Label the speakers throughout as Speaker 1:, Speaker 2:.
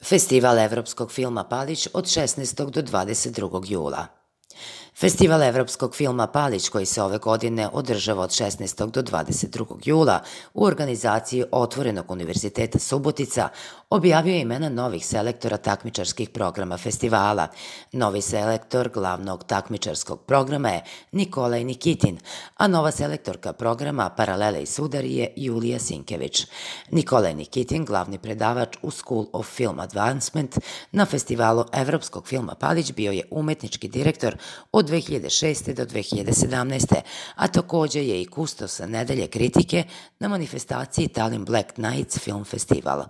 Speaker 1: Festival evropskog filma Palić od 16. do 22. jula. Festival evropskog filma Palić, koji se ove godine održava od 16. do 22. jula u organizaciji Otvorenog univerziteta Subotica, objavio je imena novih selektora takmičarskih programa festivala. Novi selektor glavnog takmičarskog programa je Nikolaj Nikitin, a nova selektorka programa Paralele i sudari je Julija Sinkević. Nikolaj Nikitin, glavni predavač u School of Film Advancement na festivalu evropskog filma Palić, bio je umetnički direktor od 2006. do 2017. a takođe je i kustosa nedelje kritike na manifestaciji Tallinn Black Nights Film Festival.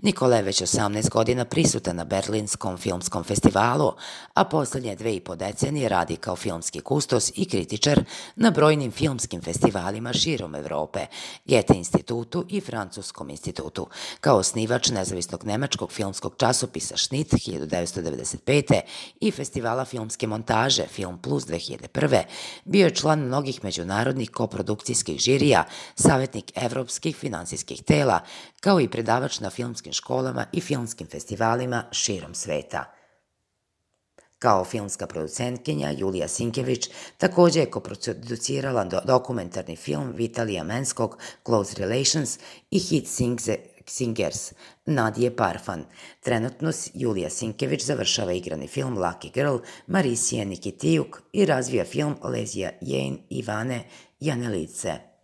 Speaker 1: Nikola je već 18 godina prisutan na Berlinskom filmskom festivalu, a poslednje 2,5 decenije radi kao filmski kustos i kritičar na brojnim filmskim festivalima širom Evrope, Goethe institutu i Francuskom institutu. Kao osnivač nezavisnog nemačkog filmskog časopisa Schnitt 1995. i festivala filmske montaže Film Plus 2001. bio je član mnogih međunarodnih koprodukcijskih žirija, savjetnik evropskih finansijskih tela, kao i predavač na filmskim školama i filmskim festivalima širom sveta. Kao filmska producentkinja, Julija Sinkević takođe je koproducirala dokumentarni film Vitalija Menskog Close Relations i hit Singers Nadije Parfan. Trenutno Julija Sinkević završava igrani film Lucky Girl Marisije Nikitijuk i razvija film Lezija Jane Ivane Janelice.